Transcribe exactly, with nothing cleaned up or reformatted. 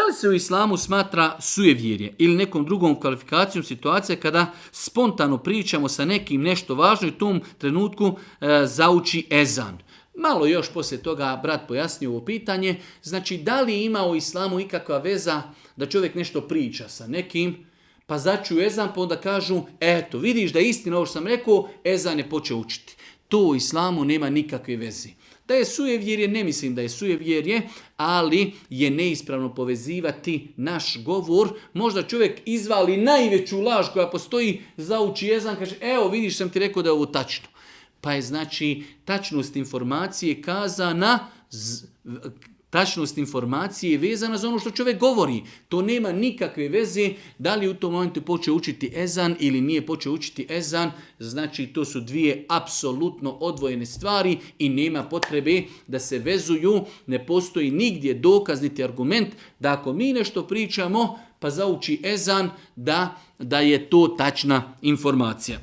Da li se u islamu smatra sujevjerje ili nekom drugom kvalifikacijom situacije kada spontano pričamo sa nekim nešto važno i u tom trenutku e, zauči ezan? Malo još poslije toga brat pojasnio ovo pitanje. Znači, da li ima u islamu ikakva veza da čovjek nešto priča sa nekim, pa začuju ezan, pa onda kažu, eto, vidiš da je istina ovo što sam rekao, ezan je počeo učiti. To u islamu nema nikakve veze. Da je sujevjerje, ne mislim da je sujevjerje, ali je neispravno povezivati naš govor. Možda čovjek izvali najveću laž koja postoji, zauči ezan, kaže, evo vidiš sam ti rekao da je ovo tačno. Pa je znači tačnost informacije kazana, z, tačnost informacije je vezana za ono što čovjek govori. To nema nikakve veze da li u tom momentu počeo učiti ezan ili nije počeo učiti ezan. Znači to su dvije apsolutno odvojene stvari i nema potrebe da se vezuju. Ne postoji nigdje dokaz niti argument da ako mi nešto pričamo pa zauči ezan da, da je to tačna informacija.